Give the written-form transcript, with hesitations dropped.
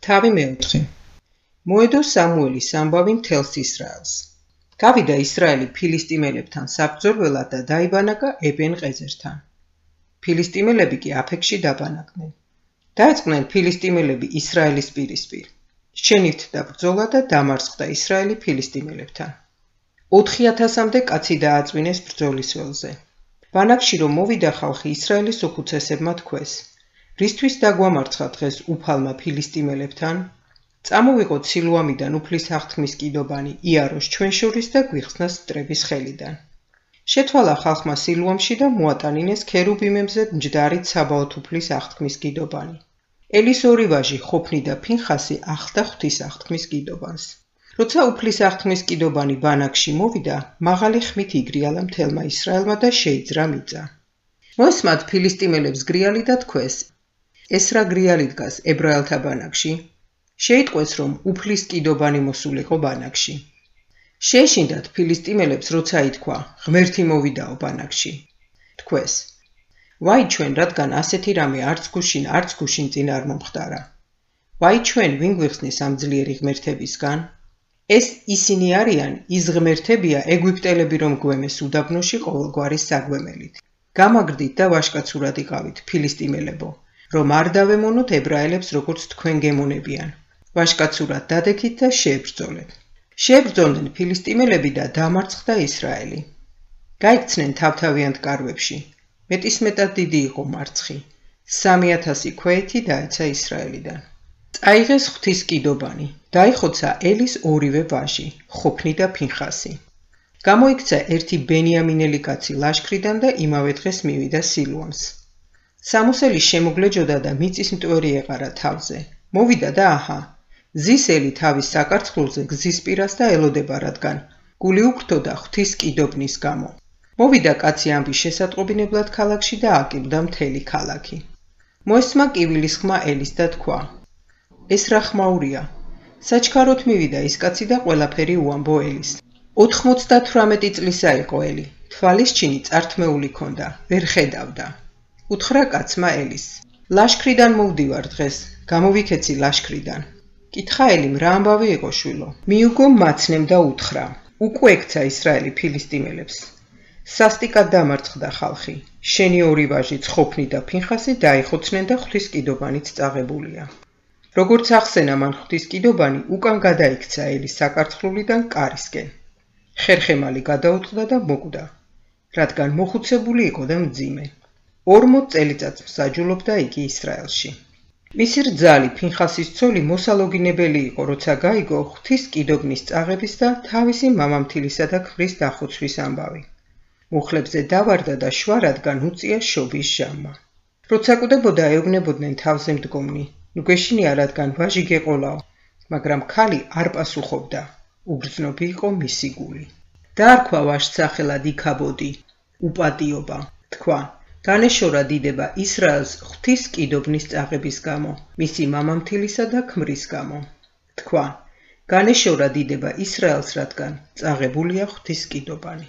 თავი მეოთხე. მოედო სამუელის ამბავი მთელს ისრაელს. გავიდა ისრაელი ფილისტიმელებთან საბრძოლველად და დაიბანაკა ებენ ყეზერთან. ფილისტიმელები კი აფექში დაბანაკდნენ. დაეწყნენ ფილისტიმელები ისრაელის პირისპირ. შენივთდა ბრძოლა და დამარცხდა ისრაელი ფილისტიმელებთან. 4000-მდე კაცი დააწვინეს ბრძოლის ველზე. ბანაკში რომ მოვიდა ხალხი ისრაელის უხუცესებმა თქვეს: რისთვის დაგვამარცხა დღეს უფალმა ფილისტიმელებთან? წამოვიღოთ სილუამიდან უფლის აღთქმის კიდობანი იაროს ჩვენ შორის და გვიხსნას მტრების ხელიდან. შეთვალა ხალხმა სილუამში და მოატანინეს ქერუბიმებზე მჯდარით საბაოთ უფლის აღთქმის კიდობანი. ელის ორი ვაჟი ხოფნი და ფინხასი ახლდა ღვთის აღთქმის კიდობანს. როცა უფლის აღთქმის კიდობანი ბანაკში მოვიდა, მაღალი ხმით იგრიალა მთელმა ისრაელმა და შეიძრა მიწა. მოესმათ ფილისტიმელებს გრიალი და თქვეს: ეს რა გრიალი დგას ებრაელთა ბანაკში? შეიტყვეს, რომ უფლის კიდობანი მოსულიყო ბანაკში. შეეშინდათ ფილისტიმელებს, როცა ითქვა: ღმერთი მოვიდაო ბანაკში. თქვეს: ვაი ჩვენ, რადგან ასეთი რამე არც გუშინ წინ არ მომხდარა. ვაი ჩვენ, ვინ გვიხსნის ამ ძლიერი ღმერთებისგან? ეს ისინი არიან, ის ღმერთებია ეგვიპტელები, რომ გვემეს უდაბნოში ყოველგვარი საგვემელით. გამაგრდით და ვაშკაცურად იყავით, ფილისტიმელებო, რომ არ დავემონოთ ებრაელებს, როგორც თქვენ გემონებიან. ვაშკაცურად დადექით და შეებრძოლეთ. შეებრძოლნენ ფილისტიმელები და დამარცხდა ისრაელი. გაიქცნენ თავთავიანთ კარვებში. მეტისმეტად დიდი იყო მარცხი. 3000 ქვეითი დაეცა ისრაელიდან. წაიღეს ღვთის კიდობანი. დაიხოცა ელის ორივე ვაჟი, ხოფნი და ფინხასი. გამოიქცა ერთი ბენიამინელი კაცი ლაშქრიდან და იმავე დღეს მივიდა სილუამს. სამოსელი შემოგლეჯოდა და მიწის მტვერი ეყარა თავზე. მოვიდა და აჰა, ზის ელი თავის საკარცხლულზე გზის პირას და ელოდება, რადგან გული უქრთოდა ღვთის კიდობნის გამო. მოვიდა კაცი ამბის შესატყობინებლად ქალაქში და აკილვდა მთელი ქალაქი. მოესმა კივილის ხმა ელის და თქვა: ეს რა ხმაურია? საჩქაროდ მივიდა ის კაცი და ყველაფერი უამბო ელის. 98 წლისა იყო ელი, თვალის ჩინი წართმეული ქონდა, ვერ ხედავდა. უთხრა კაცმა ელის: ლაშქრიდან მოვდივარ დღეს, გამოვიქეცი ლაშქრიდან. კითხა ელიმ: რა ამბავი იყო შვილო? მიუგო მაცნემ და უთხრა: უკვე ექცა ისრაელი ფილისტიმელებს. სასტიკად დამარცხდა ხალხი. შენი ორი ვაჟი ხოფნი და ფინხასი დაიხოცნენ და ღვთის კიდობანით წაღებულია. როგორც ახსენა მან ღვთის კიდობანი, უკან გადაიქცა ელის საკარცხლულიდან კარისკენ. ხერხემალი გადაუწყდა და მოკვდა, რადგან მოხუცებული იყო და მძიმე. 40 წელიწადს მსაჯულობდა იგი ისრაელში. მისი რძალი ფინხასის ცოლი მოსალოგინებელი იყო, როცა გაიგო ღვთის კიდობნის წაღების და თავისი მამამთილისა და ქმრის დახოცვის ამბავი. მუხლებზე დავარდა და შვა, რადგან უწია შობის ჟამმა. როცა კვდებოდა, ეუბნებოდნენ თავზე მდგომნი: ნუ გეშინია, რადგან ვაჟი გეყოლაო, მაგრამ ქალი არ პასუხობდა. უბრძნობი იყო მისი გული. დაარქვა ვაჟს სახელად იქაბოდი, უპატიობა. თქვა: განეშორა დიდება ისრაელს ღვთის კიდობნის წაღების გამო, მისი მამამთილისა და ქმრის გამო. თქვა: განეშორა დიდება ისრაელს, რადგან წაღებულია ღვთის კიდობანი.